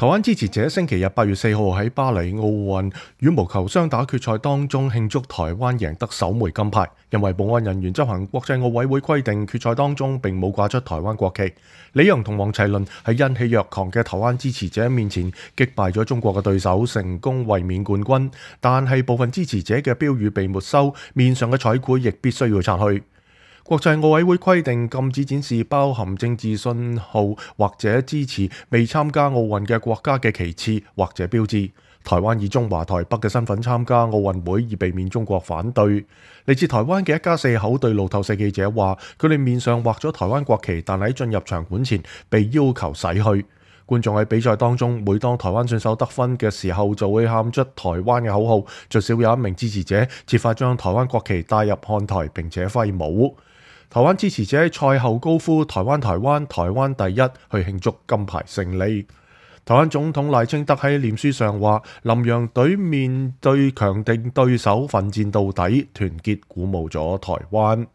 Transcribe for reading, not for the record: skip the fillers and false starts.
台灣支持者星期日8月4號喺巴黎奧運羽毛球雙打決賽當中慶祝台灣贏得首枚金牌，因為保安人員執行國際奧委會規定，決賽當中並冇掛出台灣國旗。李洋同黃齊麟喺欣喜若狂嘅台灣支持者面前擊敗咗中國嘅對手，成功衛冕冠軍。但係部分支持者嘅標語被沒收，面上嘅彩繪亦必須要拆去。國際奧委會規定禁止展示包含政治信號或者支持未參加奧運嘅國家嘅旗幟或者標誌。台灣以中華台北嘅身份參加奧運會，以避免中國反對。嚟自台灣嘅一家四口對路透社記者話，佢哋面上畫咗台灣國旗，但喺進入場館前被要求洗去。觀眾喺比賽當中，每當台灣選手得分嘅時候，就會喊出台灣嘅口號。最少有一名支持者設法將台灣國旗帶入看台並且揮舞。台灣支持者喺賽後高呼台灣台灣台灣第一，去慶祝金牌勝利。台灣總統賴清德喺臉書上話，林洋隊面對強敵對手奮戰到底，團結鼓舞咗台灣。